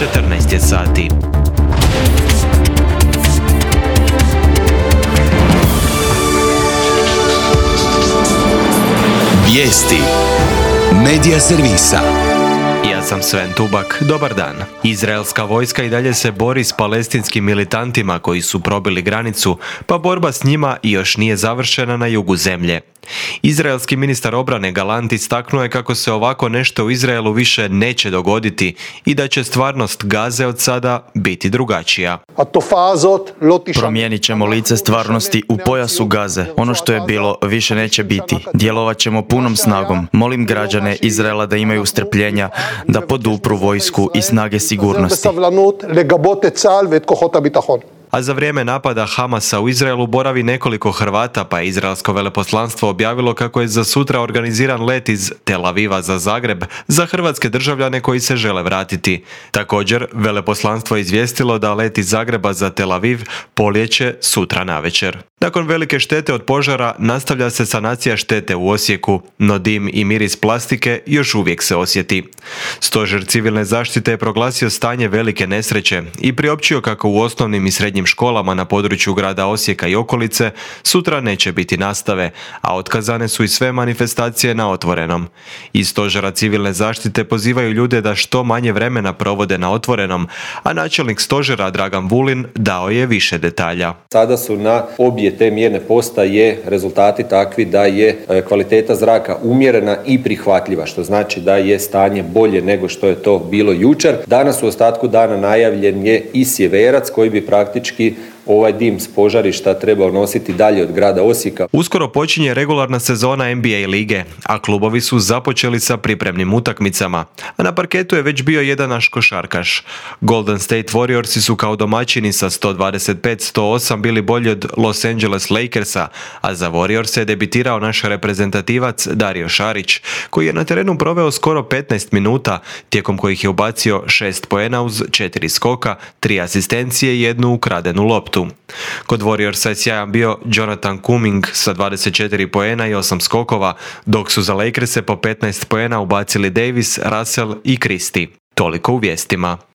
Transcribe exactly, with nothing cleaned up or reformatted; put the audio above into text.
četrnaest je sati. Vijesti Medija servisa. Ja sam Sven Tubak, dobar dan. Izraelska vojska i dalje se bori s palestinskim militantima koji su probili granicu, pa borba s njima još nije završena na jugu zemlje. Izraelski ministar obrane Galant istaknuo je kako se ovako nešto u Izraelu više neće dogoditi i da će stvarnost Gaze od sada biti drugačija. Promijenit ćemo lice stvarnosti u pojasu Gaze. Ono što je bilo više neće biti. Djelovat ćemo punom snagom. Molim građane Izraela da imaju strpljenja, da podupru vojsku i snage sigurnosti. A za vrijeme napada Hamasa u Izraelu boravi nekoliko Hrvata, pa je izraelsko veleposlanstvo objavilo kako je za sutra organiziran let iz Tel Aviva za Zagreb za hrvatske državljane koji se žele vratiti. Također, veleposlanstvo je izvijestilo da let iz Zagreba za Tel Aviv poljeće sutra navečer. Nakon velike štete od požara nastavlja se sanacija štete u Osijeku, no dim i miris plastike još uvijek se osjeti. Stožer civilne zaštite je proglasio stanje velike nesreće i priopćio kako u osnovnim i srednjim školama na području grada Osijeka i okolice sutra neće biti nastave, a otkazane su i sve manifestacije na otvorenom. Iz stožera civilne zaštite pozivaju ljude da što manje vremena provode na otvorenom, a načelnik stožera Dragan Vulin dao je više detalja. Sada su na obje te mjerne postaje rezultati takvi da je kvaliteta zraka umjerena i prihvatljiva, što znači da je stanje bolje nego što je to bilo jučer. Danas u ostatku dana najavljen je i sjeverac koji bi praktički ovaj dim s požarišta trebao nositi dalje od grada Osijeka. Uskoro počinje regularna sezona N B A lige, a klubovi su započeli sa pripremnim utakmicama, a na parketu je već bio jedan naš košarkaš. Golden State Warriorsi su kao domaćini sa sto dvadeset pet sto osam bili bolji od Los Angeles Lakersa, a za Warriors je debitirao naš reprezentativac Dario Šarić, koji je na terenu proveo skoro petnaest minuta, tijekom kojih je ubacio šest poena uz četiri skoka, tri asistencije i jednu ukradenu loptu. Kod Warriorsa je sjajan bio Jonathan Kuminga sa dvadeset četiri poena i osam skokova, dok su za Lakerse po petnaest poena ubacili Davis, Russell i Christie. Toliko u vijestima.